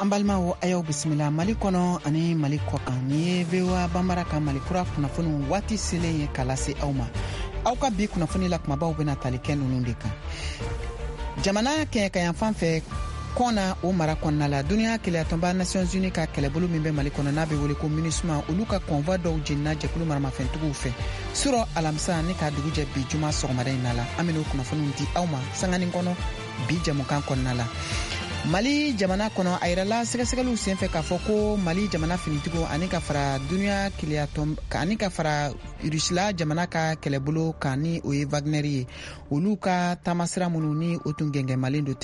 An balimaw, a y'aw bisimila Mali kɔnɔ ani Mali kɔkan. Nin ye VOA Banbara ka Mali kura kunnafoniw waati selen ye ka lase aw ma. Aw ka bi kunnafoni la kumabaw bɛna tali kɛ ninnu de kan: jamana kɛɲɛkayanfan fɛ, Kɔna o mara kɔnɔna la, duniɲa kelenyatɔnba Nations Unies ka kɛlɛbolo min bɛ Mali kɔnɔ, n'a bɛ wele ko MINUSMA, olu ka convoi dɔw jenina jɛkulu maramafɛntigiw fɛ surɔ alamisa ni ka dugu jɛ bi juma sɔgɔmada in na la. An ben'o kunnafoniw di aw ma sanganin kɔnɔ bi jamukan kɔnɔna la. Mali jamana kɔnɔ, a yirala sɛgɛsɛgɛliw senfɛ k'a fɔ ko Mali jamana finitigiw ani ka fara duniɲa keleyatɔn ani ka fara Rusila jamana ka kɛlɛbolo kan, ni o ye Wagner ye, olu ka taamasira minnu ni o tun gɛngɛmalen don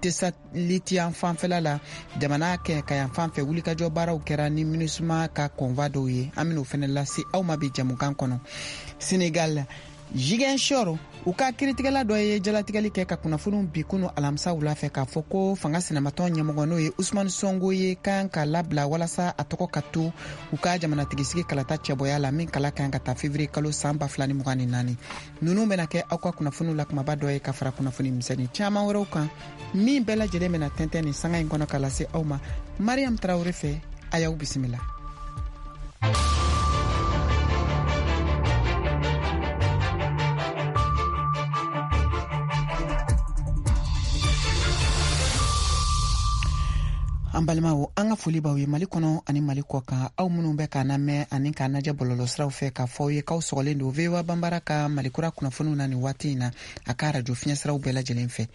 Tesalitiyan fanfɛla la, jamana kɛɲɛkayan fan fɛ, wulikajɔ baaraw kɛra ni MINUSMA ka convoi dɔw ye. An ben'o fɛnɛ lase aw ma bi jamukan kɔnɔ. Senegal, Ziguinchor, u ka kiritigɛla dɔ ye jalatigɛli kɛ ka kunnafoniw bi kunu alamisa wula fɛ k'a fɔ ko fanga sinamatɔn ɲɛmɔgɔ, n'o ye Usumani Sonko ye, kan ka labila walasa a tɔgɔ ka to u ka jamanatigisigi kalata cɛbɔya la, min kala kan ka taa fevrier kalo san 2024. Ninnu bɛna kɛ aw ka kunnafoniw la kumaba dɔ ye, ka fara kunnafoni misɛnnin caman wɛrɛw kan, min bɛɛ lajɛlen bɛna tɛntɛn nin sanga in kɔnɔ ka lase aw ma Mariam Tarawele fɛ. A y'aw bisimila. An balimaw, an ka foli b'aw ye Mali kɔnɔ ani Mali kɔ kan, aw minnu bɛ k'an lamɛn ani k'an lajɛ bɔlɔlɔsiraw fɛ, k'a fɔ aw ye k'aw sɔgɔlen don VOA Banbara ka Malikura kunnafoniw na nin waati in na, a ka arajo fiɲɛsiraw bɛɛ lajɛlen fɛ.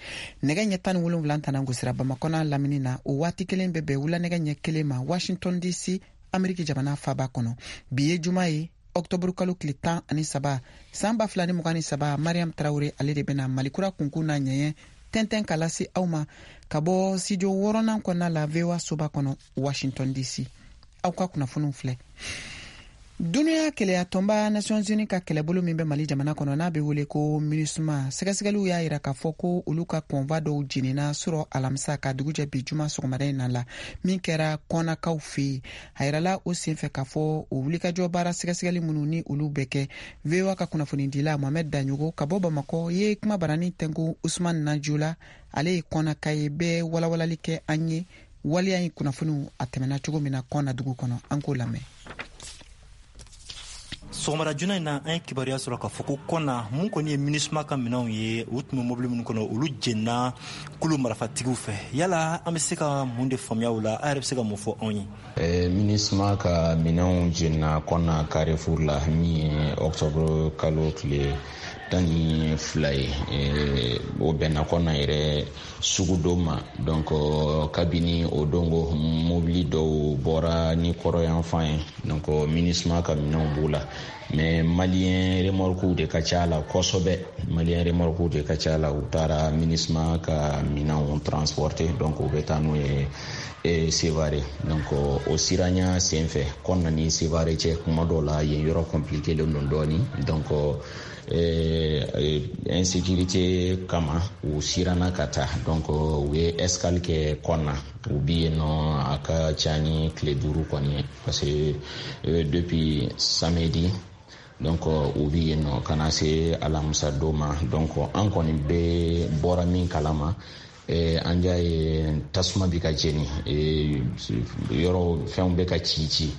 Nɛgɛ ɲɛ 17 tana gosira Bamakɔ n'a lamini na, o waati kelen bɛ bɛn wula nɛgɛ ɲɛ 1 ma Washington DC, Ameriki jamana faba kɔnɔ. Bi ye juma ye, ɔktɔburu kalo tile 13, san 2023. Mariam Tarawure, ale de bɛna Malikura kunkun n'a ɲɛɲɛ tɛntɛn ka lase aw ma ka bɔ studio wɔɔrɔnan kɔnɔna la, VOA soba kɔnɔ, Washington DC. Aw ka kunnafoniw filɛ. Duniya kelenyatɔnba Nations Unies ka kɛlɛbolo min bɛ Mali jamana kɔnɔ, n'a bɛ wele ko MINUSMA, sɛgɛsɛgɛliw y'a yira k'a fɔ ko olu ka convoi dɔw jenina surɔ alamisa ka dugujɛ bi juma sɔgɔmada in na la, min kɛra Kɔnakaw fɛ yen. A yirala o senfɛ k'a fɔ o wulikajɔ baara sɛgɛsɛgɛli minnu ni olu bɛ kɛ, VOA ka kunnafonidila Mohamɛd Daɲogo ka bɔ Bamakɔ ye kuma barani tɛnku Usman Najola, ale ye Kɔnaka ye, bɛ walawalali kɛ an ye waleya in kunnafoniw a tɛmɛna cogo min na Kɔna dugu kɔnɔ. An k'o lamɛn. Sɔgɔmada joona in na, an ye kibaruya sɔrɔ k'a fɔ ko Kɔna, mun kɔni ye MINUSMA ka minɛnw ye, u tun bɛ mobili minnu kɔnɔ, olu jenina kulu marifatigiw fɛ. Yala an bɛ se ka mun de faamuya o la? A yɛrɛ bɛ se ka mun fɔ anw ye? MINUSMA ka minɛnw jenina Kɔna Carrefour la, min ye octobre kalo tile 12 ye. O bɛnna Kɔna yɛrɛ sugudon ma. Donc kabini o don ko mobili dɔw bɔra ni kɔrɔyanfan ye, donc MINUSMA ka minɛnw b'u la, mais malien remorques de ka ca la kosɛbɛ. Malien remorques de ka ca la. U taara MINUSMA ka minɛnw transporter, donc u bɛ taa n'u ye Sevare. Donc o siranya sen fɛ, Kɔna ni Sevare cɛ, kuma dɔw la yen yɔrɔ compliqué len don dɔɔni. Donc insécurité kama, u siranna ka taa. Donc u ye escale kɛ Kɔna, u bi yen nɔ a ka ca ni tile 5 kɔni ye, parce que depuis samedi, donc u bi yen nɔ ka na se alamisa don ma. Donc an kɔni bɛ bɔra min kalama, an y'a ye tasuma bi ka jeni, yɔrɔ fɛnw bɛ ka ci ci.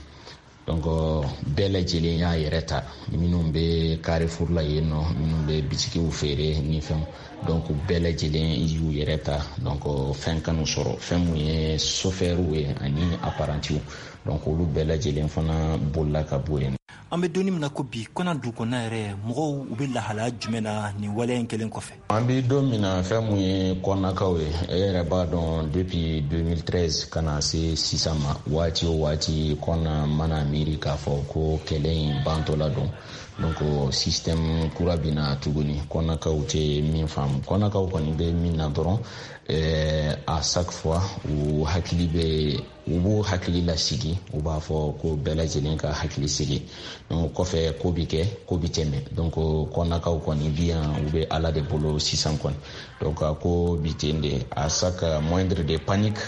Donc bɛɛ lajɛlen y'a yɛrɛ ta, minnu bɛ Carrefour la yen nɔ, minnu bɛ bitikiw feere ni fɛnw, donc bɛɛ lajɛlen y'u yɛrɛ ta. Donc fɛn kanu sɔrɔ, fɛn mun ye sofɛriw ye ani apparentis, donc olu bɛɛ lajɛlen fana bolila ka bɔ yen. An bɛ donni min na ko bi, Kɔna dugu kɔnɔna yɛrɛ, mɔgɔw u bɛ lahalaya jumɛn na nin waleya in kɛlen kɔfɛ? An bɛ don min na, fɛn mun ye Kɔnakaw ye, e yɛrɛ b'a dɔn, depuis 2013 ka na se sisan ma, waati o waati Kɔna mana miiri k'a fɔ ko kɛlɛ in bantɔla don, donc système kura bɛ na tuguni. Kɔnakaw tɛ min faamu, Kɔnakaw kɔni bɛ min na dɔrɔn, à chaque fois u hakili bɛ, u b'u hakili lasigi, u b'a fɔ ko bɛɛ lajɛlen ka hakili sigi. Donc kɔfɛ ko bi kɛ, ko bi tɛmɛ. Donc Kɔnakaw kɔni bi yan, u bɛ Ala de bolo sisan kɔni. Donc a ko bi ten de, à chaque moindre de panique,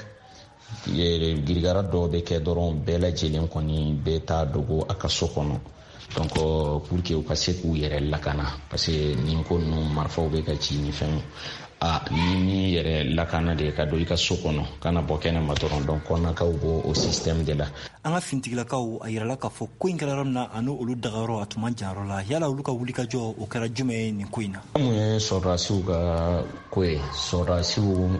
girigara dɔw bɛ kɛ dɔrɔn, bɛɛ lajɛlen kɔni bɛ taa dogo a ka so kɔnɔ, donc pour que u ka se k'u yɛrɛ lakana, parce que nin ko ninnu, marifaw bɛ ka ci ni fɛnw. A ni min yɛrɛ lakana de ka don i ka so kɔnɔ, kana bɔ kɛnɛ ma dɔrɔn. Donc kɔnakaw b'o o système de la. An ka finitigilakaw, a yirala k'a fɔ ko in kɛra yɔrɔ min na, ani olu dagayɔrɔ a tun man jan yɔrɔ la. Yala olu ka wulikajɔ, o kɛra jumɛn ye nin ko in na? Mun ye sɔrɔdasiw ka ko ye, sɔrɔdasiw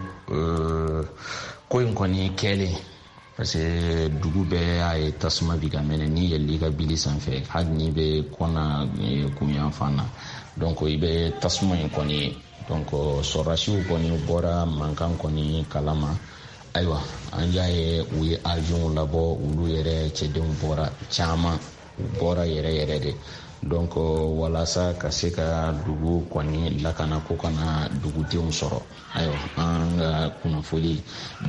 ko in kɔni kɛlen, parce que dugu bɛɛ y'a ye tasuma bi ka mɛnɛ. N'i yɛlɛl'i ka bili sanfɛ, hali n'i bɛ kɔna kunyan fan na, donc i bɛ tasuma in kɔni ye. Donc sɔrɔdasiw kɔni bɔra mankan kɔni kalama. Ayiwa, an y'a ye u ye avion labɔ, olu yɛrɛ cɛdenw bɔra caman, u bɔra yɛrɛ yɛrɛ de. Donc walasa ka se ka dugu kɔni lakana, ko kana dugudenw sɔrɔ. Ayiwa, an ka kunnafoli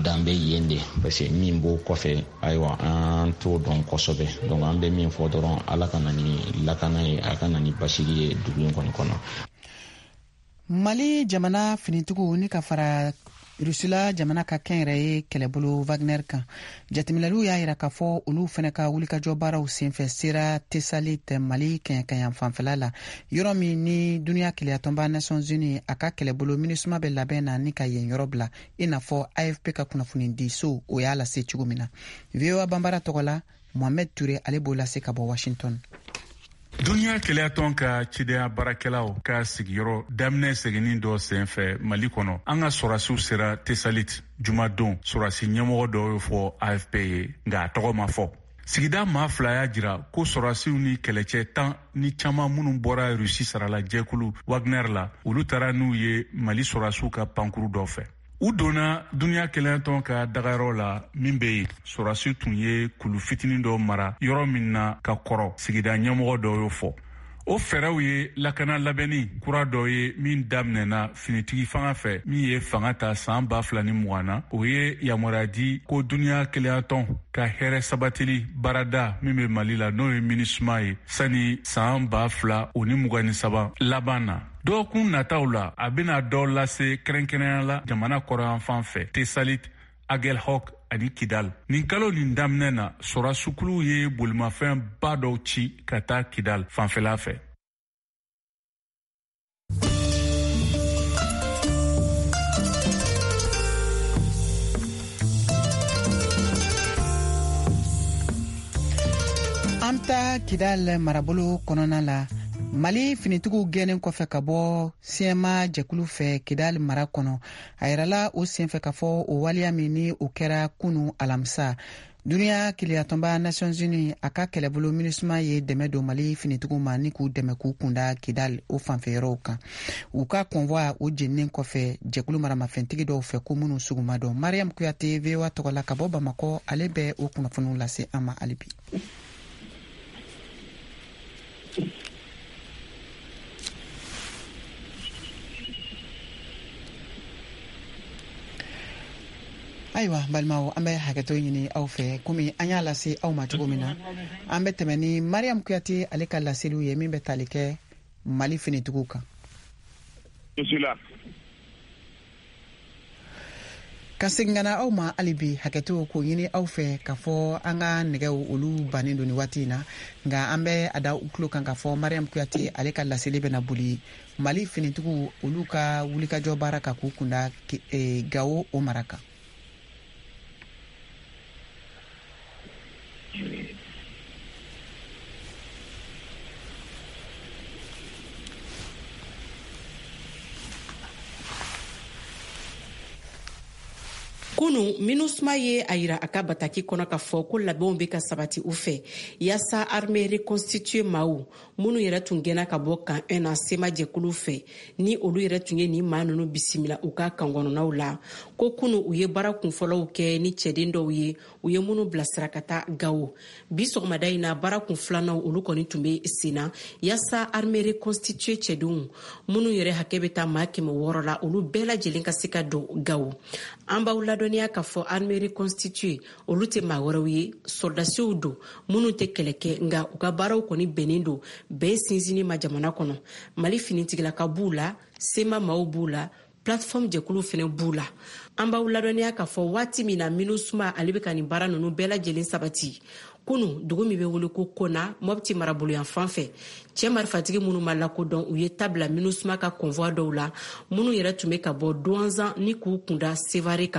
dan bɛ yen de, parce que min b'o kɔfɛ, ayiwa, an t'o dɔn kosɛbɛ. Donc an bɛ min fɔ dɔrɔn, Ala ka na ni lakana ye, a ka na ni basigi ye dugu in kɔni kɔnɔ. Mali jamana finitigiw ni ka fara Rusila jamana ka kɛnyɛrɛye kɛlɛbolo Wagner kan, jateminɛliw y'a yira k'a fɔ olu fɛnɛ ka wulikajɔ baaraw senfɛ sera Tesalit, Mali kɛɲɛkayan fanfɛla la, yɔrɔ min ni duniya kelenyatɔnba Nations Unies a ka kɛlɛbolo MINUSMA bɛ labɛn na ni ka yen yɔrɔ bila, i n'a fɔ AFP ka kunnafonidiso o y'a lase cogo min na. VOA Banbara tɔgɔ la, Mohamed Touré, ale b'o lase ka bɔ Washington. Duniya kelenyatɔn ka cidenya baarakɛlaw ka sigiyɔrɔ daminɛ seginni dɔ sen fɛ Mali kɔnɔ, an ka sɔrɔdasiw sera Tesalit jumadon, sɔrɔdasi ɲɛmɔgɔ dɔw y'o fɔ AFP ye, nka a tɔgɔ ma fɔ. Sigida maa fila y'a jira ko sɔrɔdasiw ni kɛlɛcɛ tan ni caman minnu bɔra Rusi sarala jɛkulu Wagner la, olu taara n'u ye Mali sɔrɔdasiw ka pankuru dɔ fɛ. U donna duniya kelenyatɔn ka dagayɔrɔ la min bɛ yen, sɔrɔdasi tun ye kulu fitinin dɔ mara yɔrɔ min na ka kɔrɔ, sigida ɲɛmɔgɔ dɔw y'o fɔ. O fɛɛrɛw ye lakana labɛnni kura dɔ ye min daminɛna finitigi fanga fɛ min ye fanga ta saan 2020 na. O ye yamaruya di ko duniya kelenyatɔn ka hɛrɛ sabatili baarada min bɛ Mali la, n'o ye MINUSMA ye, sani saan 2023 laban na. Dɔgɔkun nataw la, a bɛna dɔ lase kɛrɛnkɛrɛnya la jamana kɔrɔyanfan fɛ, Tesalit, Agelhok ani Kidal. Nin kalo nin daminɛ na, sɔrɔdasukuluw ye bolimafɛn ba dɔw ci ka taa Kidal fanfɛla fɛ. An taa Kidal marabolo kɔnɔna la. Mali finitigiw gɛnnen kɔfɛ ka bɔ CMA jɛkulu fɛ Kidal mara kɔnɔ, a yirala o senfɛ k'a fɔ o waleya min ni o kɛra kunu alamisa, duniya kelenyatɔnba Nations Unies a ka kɛlɛbolo MINUSMA ye dɛmɛ don Mali finitigiw ma ni k'u dɛmɛ k'u kunda Kidal o fanfɛ yɔrɔw kan, u ka convoi o jeninen kɔfɛ jɛkulu maramafɛntigi dɔw fɛ ko minnu sugu ma dɔn. Mariam Kuyate, VOA tɔgɔ la ka bɔ Bamakɔ, ale bɛ o kunnafoniw lase an ma hali bi. Ayiwa balimaw, an bɛ hakɛto ɲini aw fɛ. Komi an y'a lase aw ma cogo min na, an bɛ tɛmɛ ni Mariam Kuyate ale ka laseliw ye min bɛ tali kɛ Mali finitigiw kan. Je suis là. Ka segin ka na aw ma hali bi, hakɛto k'o ɲini aw fɛ k'a fɔ an ka nɛgɛw olu bannen don nin waati in na, nka an bɛ a da u tulo kan k'a fɔ Mariam Kuyate ale ka laseli bɛna boli Mali finitigiw olu ka wulikajɔ baara kan k'u kunda Gawo o mara kan. Kunu, MINUSMA ye a yira a ka bataki kɔnɔ k'a fɔ ko labɛnw bɛ ka sabati u fɛ yaasa armée reconstituée maaw minnu yɛrɛ tun gɛnna ka bɔ camp 1 na CMA jɛkulu fɛ, ni olu yɛrɛ tun ye nin maa ninnu bisimila u ka kan kɔnɔnaw la, ko kunu u ye baara kunfɔlɔw kɛ ni cɛden dɔw ye, u ye minnu bilasira ka taa Gawo. Bi sɔgɔmada in na, baara kun filananw olu kɔni tun bɛ sen na yaasa armée reconstituée cɛdenw minnu yɛrɛ hakɛ bɛ taa maa 600 la, olu bɛɛ lajɛlen ka se ka don Gawo. An b'aw ladɔnniya k'a fɔ armée reconstituée olu tɛ maa wɛrɛw ye, sɔrɔdasiw don minnu tɛ kɛlɛ kɛ, nka u ka baaraw kɔni bɛnnen don bɛn sinsinni ma jamana kɔnɔ. Mali finitigilaka b'u la, CMA maaw b'u la, plateforme jɛkulu fɛnɛ b'u la. An b'aw ladɔnniya k'a fɔ waati min na MINUSMA ale bɛ ka nin baara ninnu bɛɛ lajɛlen sabati. Kunu, dugu min bɛ wele ko Kona, Mɔpti marabolo yan fan fɛ, cɛ marifatigi minnu ma lakodɔn, u ye ta bila Minusma ka convoi dɔw la, minnu yɛrɛ tun bɛ ka bɔ Duwanzan ni k'u kunda Sevare kan.